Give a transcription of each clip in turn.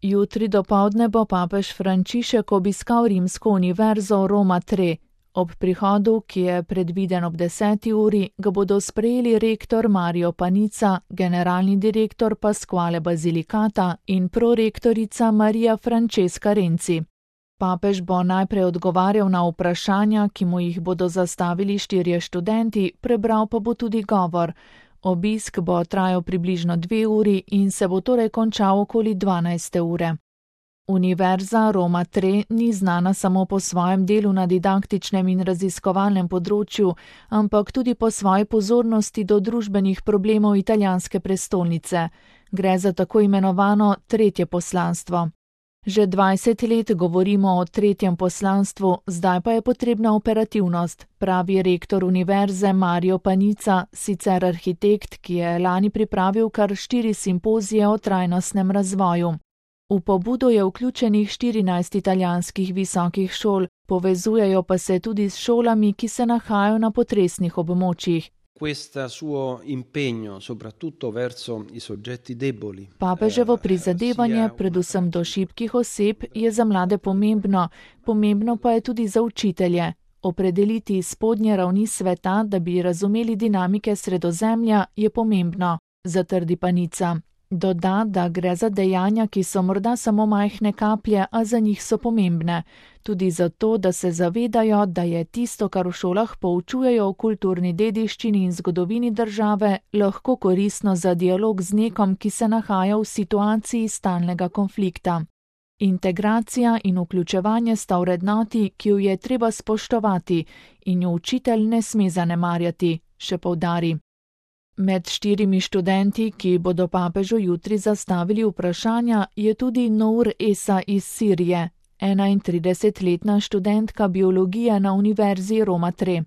Jutri dopoldne bo papež Frančišek obiskal rimsko univerzo Roma III. Ob prihodu, ki je predviden ob 10. uri, ga bodo sprejeli rektor Mario Panica, generalni direktor Pasquale Basilicata in prorektorica Marija Francesca Renzi. Papež bo najprej odgovarjal na vprašanja, ki mu jih bodo zastavili 4 študenti, prebral pa bo tudi govor. Obisk bo trajal približno 2 uri in se bo torej končal okoli 12. ure. Univerza Roma III ni znana samo po svojem delu na didaktičnem in raziskovalnem področju, ampak tudi po svoji pozornosti do družbenih problemov italijanske prestolnice. Gre za tako imenovano tretje poslanstvo. Že 20 let govorimo o tretjem poslanstvu, zdaj pa je potrebna operativnost, pravi rektor univerze Mario Panica, sicer arhitekt, ki je lani pripravil kar 4 simpozije o trajnostnem razvoju. V pobudo je vključenih 14 italijanskih visokih šol, povezujejo pa se tudi s šolami, ki se nahajajo na potresnih območjih. Papeževo prizadevanje, predvsem do šibkih oseb, je za mlade pomembno, pomembno pa je tudi za učitelje. Opredeliti spodnje ravni sveta, da bi razumeli dinamike Sredozemlja, je pomembno, zatrdi Panica. Doda, da gre za dejanja, ki so morda samo majhne kaplje, a za njih so pomembne. Tudi zato, da se zavedajo, da je tisto, kar v šolah poučujejo o kulturni dediščini in zgodovini države, lahko koristno za dialog z nekom, ki se nahaja v situaciji stalnega konflikta. Integracija in vključevanje sta vrednoti, ki jo je treba spoštovati in jo učitelj ne sme zanemarjati, še poudari. Med 4 študenti, ki bodo papežu jutri zastavili vprašanja, je tudi Nour Esa iz Sirije, 31-letna študentka biologije na univerzi Roma III.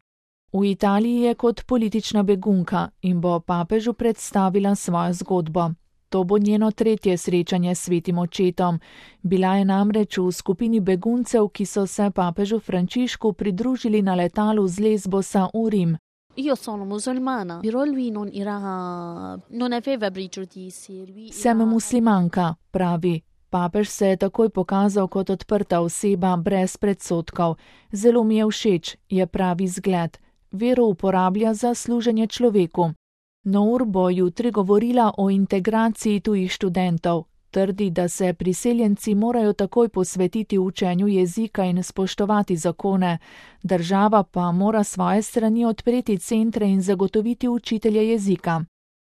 V Italiji je kot politična begunka in bo papežu predstavila svojo zgodbo. To bo njeno 3. srečanje s svetim očetom. Bila je namreč v skupini beguncev, ki so se papežu Frančišku pridružili na letalu z Lesbosa v Rim. Io sono musulmana, però lui non aveva pregiudizi. Sem muslimanka, pravi. Papež se je takoj pokazal kot odprta oseba, brez predsodkov. Zelo mi je všeč, je pravi zgled. Vero uporablja za služenje človeku. Nour bo jutri govorila o integraciji tujih študentov. Trdi, da se priseljenci morajo takoj posvetiti učenju jezika in spoštovati zakone, država pa mora svoje strani odpreti centre in zagotoviti učitelje jezika.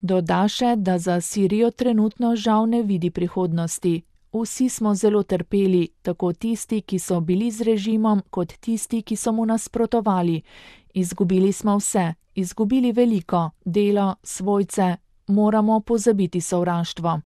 Doda še, da za Sirijo trenutno žal ne vidi prihodnosti. Vsi smo zelo trpeli, tako tisti, ki so bili z režimom, kot tisti, ki so mu nasprotovali. Izgubili smo vse, izgubili veliko, delo, svojce, moramo pozabiti sovraštvo.